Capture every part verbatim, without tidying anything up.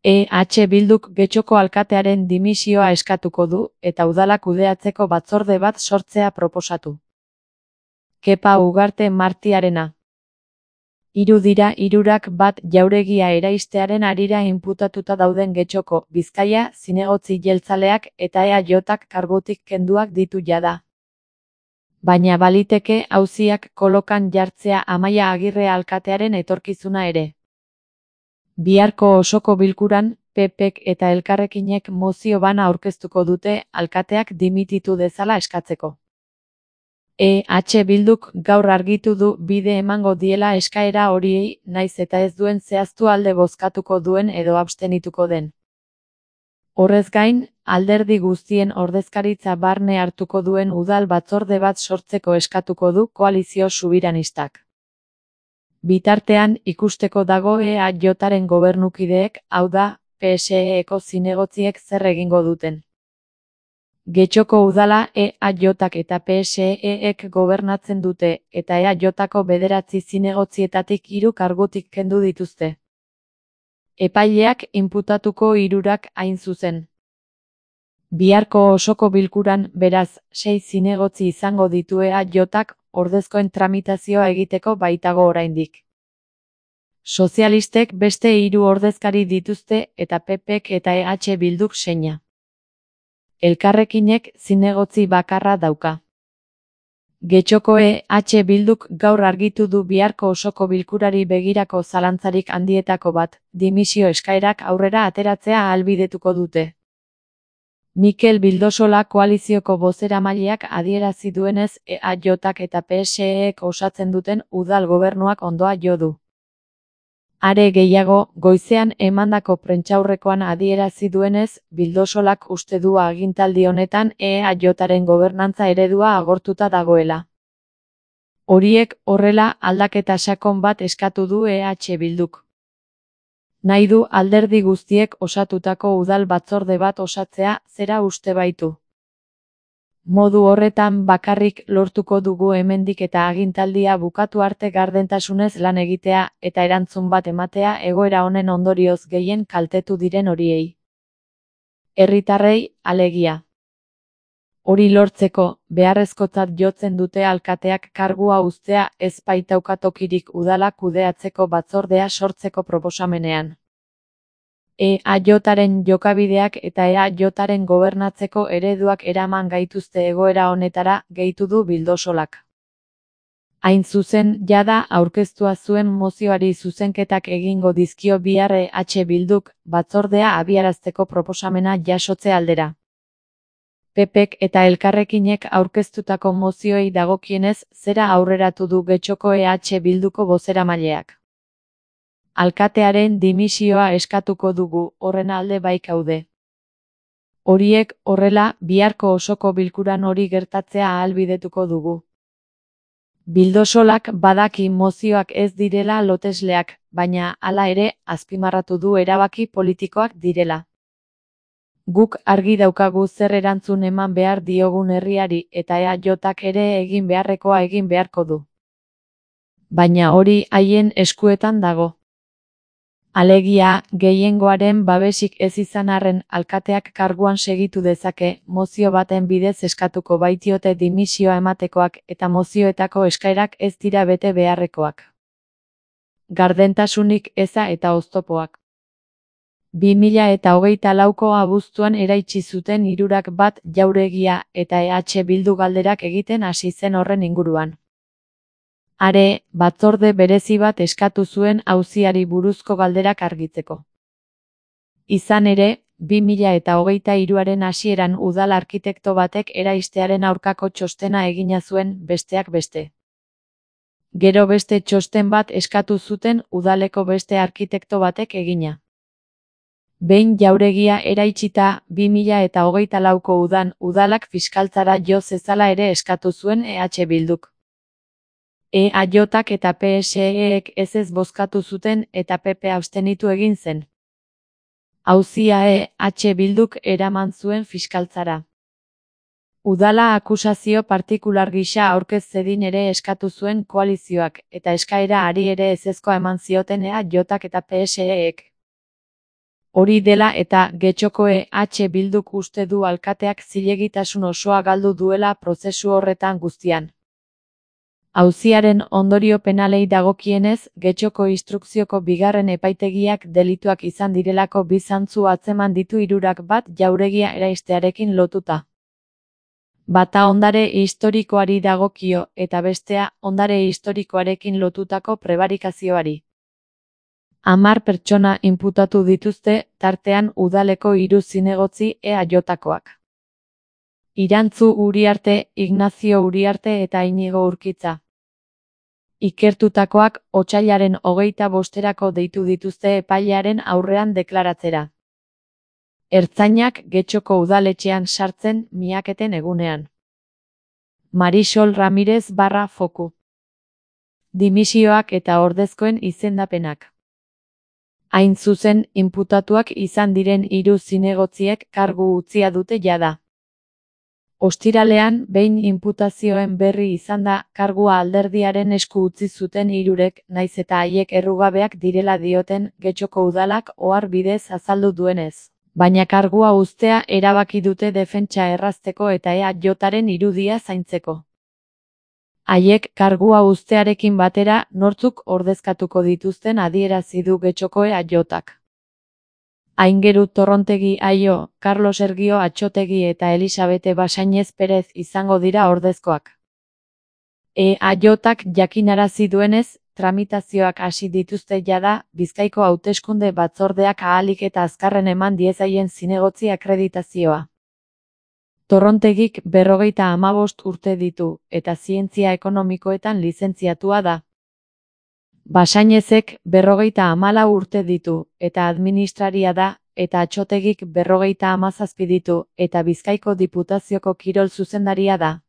E H Bilduk Getxoko alkatearen dimisioa eskatuko du eta udala kudeatzeko batzorde bat sortzea proposatu. Kepa Ugarte Martiarena. Hiru dira hirurak bat jauregia eraistearen harira inputatuta dauden Getxoko, Bizkaia, zinegotzi jeltzaleak eta E A Jak kargutik kenduak ditu jada. Baina baliteke auziak kolokan jartzea Amaia Agirre alkatearen etorkizuna ere. Biharko osoko bilkuran, P Pk eta Elkarrekinek mozio bana aurkeztuko dute alkateak dimititu dezala eskatzeko. E H Bilduk gaur argitu du bide emango diela eskaera horiei naiz eta ez duen zehaztu alde bozkatuko duen edo abstenituko den. Horrez gain, alderdi guztien ordezkaritza barne hartuko duen udal batzorde bat sortzeko eskatuko du koalizio subiranistak. Bitartean ikusteko dago E A Jaren gobernukideek, hau da, P S E-eko zinegotziek zer egingo duten. Getxoko udala E A Jak eta P S E-ek gobernatzen dute eta E A Jako bederatzi zinegotzietatik hiru kargutik kendu dituzte. Epaileak inputatuko hirurak hain zuzen. Biharko osoko bilkuran, beraz, sei zinegotzi izango ditu E A Jak ordezkoen tramitazioa egiteko baitago oraindik. Sozialistek beste hiru ordezkari dituzte eta P Pk eta E H Bilduk seina. Elkarrekinek zinegotzi bakarra dauka. Getxoko E H Bilduk gaur argitu du biharko osoko bilkurari begirako zalantzarik handietako bat, dimisio eskaerak aurrera ateratzea ahalbidetuko dute. Mikel Bildosola koalizioko bozeramaileak adierazi duenez E A Jak eta P S E-ek osatzen duten udal gobernuak ondoa jo du. Are gehiago, goizean emandako prentsaurrekoan adierazi duenez, Bildosolak uste du agintaldi honetan E A Jaren gobernantza eredua agortuta dagoela. Horiek horrela aldaketa sakon bat eskatu du E H Bilduk. Nahi du alderdi guztiek osatutako udal batzorde bat osatzea zera uste baitu. Modu horretan bakarrik lortuko dugu hemendik eta agintaldia bukatu arte gardentasunez lan egitea eta erantzun bat ematea egoera honen ondorioz gehien kaltetu diren horiei. Herritarrei, alegia. Hori lortzeko, beharrezkotzat jotzen dute alkateak kargua uztea ez baitauka tokirik udala kudeatzeko batzordea sortzeko proposamenean. E A Jaren jokabideak eta E A Jaren gobernatzeko ereduak eraman gaituzte egoera honetara, gehitu du Bildosolak. Hain zuzen, jada aurkeztua zuen mozioari zuzenketak egingo dizkio bihar E H Bilduk, batzordea abiarazteko proposamena jasotze aldera. P Pk eta Elkarrekinek aurkeztutako mozioei dagokienez zera aurreratu du Getxoko E H Bilduko bozeramaileak. Alkatearen dimisioa eskatuko dugu, horren alde baikaude. Horiek, horrela, biharko osoko bilkuran hori gertatzea ahalbidetuko dugu. Bildosolak badaki mozioak ez direla lotesleak, baina hala ere, azpimarratu du erabaki politikoak direla. Guk argi daukagu zer erantzun eman behar diogun herriari eta E A Jak ere egin beharrekoa egin beharko du. Baina hori haien eskuetan dago. Alegia, gehiengoaren babesik ez izan arren alkateak karguan segitu dezake, mozio baten bidez eskatuko baitiote dimisioa ematekoak eta mozioetako eskaerak ez dira bete beharrekoak. Gardentasunik eza eta oztopoak. bi mila eta hogeita lauko abuztuan eraitsi zuten hirurak bat jauregia eta E H Bildu galderak egiten hasi zen horren inguruan. Are, batzorde berezi bat eskatu zuen auziari buruzko galderak argitzeko. Izan ere, bi mila eta hogeita hiruaren hasieran udal arkitekto batek eraistearen aurkako txostena egina zuen besteak beste. Gero beste txosten bat eskatu zuten udaleko beste arkitekto batek egina. Behin jauregia eraitsita, bi mila eta hogeita lauko udan udalak fiskaltzara jo zezala ere eskatu zuen E H Bilduk. E A Jak eta P S E-ek ez ez bozkatu zuten eta P P abstenitu egin zen. Auzia E H Bilduk eraman zuen fiskaltzara. Udala akusazio partikular gisa aurkez zedin ere eskatu zuen koalizioak eta eskaera hari ere ezezkoa eman zioten E A Jak eta P S E-ek. Hori dela eta Getxokoe H Bilduk uste du alkateak zilegitasun osoa galdu duela prozesu horretan guztian. Auziaren ondorio penalei dagokienez, Getxoko instrukzioko bigarren epaitegiak delituak izan direlako bi zantzu atzeman ditu hirurak, bat jauregia eraistearekin lotuta. Bata ondare historikoari dagokio eta bestea ondare historikoarekin lotutako prebarikazioari. Hamar pertsona inputatu dituzte, tartean udaleko hiru zinegotzi E A Jotakoak. Irantzu Uriarte, Ignazio Uriarte eta Inigo Urkitza. Ikertutakoak otsailaren hogeita bosterako deitu dituzte epailearen aurrean deklaratzera. Ertzainak Getxoko udaletxean sartzen miaketen egunean. Marisol Ramirez barra foku. Dimisioak eta ordezkoen izendapenak. Hain zuzen, inputatuak izan diren hiru zinegotziek kargu utzia dute jada. Ostiralean, behin inputazioen berri izan da, kargua alderdiaren esku utzi zuten hirurek, naiz eta haiek errugabeak direla dioten Getxoko udalak ohar bidez azaldu duenez. Baina kargua uztea erabaki dute defentsa errazteko eta E A Jotaren irudia zaintzeko. Haiek kargua uztearekin batera nortzuk ordezkatuko dituzten adierazi du Getxoko E A Jotak. Aingeru Torrontegi Aio, Carlos Ergio Atxotegi eta Elisabete Basainez Perez izango dira ordezkoak. E A Jotak jakinarazi duenez, tramitazioak hasi dituzte jada, Bizkaiko hauteskunde batzordeak ahalik eta azkarren eman diezaien zinegotzi akreditazioa. Torrontegik berrogeita hamabost urte ditu, eta zientzia ekonomikoetan lizentziatua da. Basainezek berrogeita hamalau urte ditu, eta administraria da, eta Atxotegik berrogeita hamazazpi ditu, eta Bizkaiko Diputazioko kirol zuzendaria da.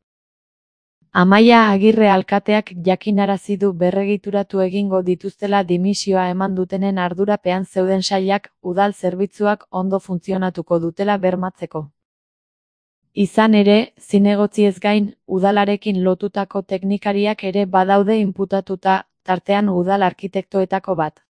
Amaia Agirre alkateak jakinarazi du berregituratu egingo dituztela dimisioa eman dutenen ardurapean zeuden sailak, udal zerbitzuak ondo funtzionatuko dutela bermatzeko. Izan ere, zinegotziez gain, udalarekin lotutako teknikariak ere badaude inputatuta, tartean udal arkitektoetako bat.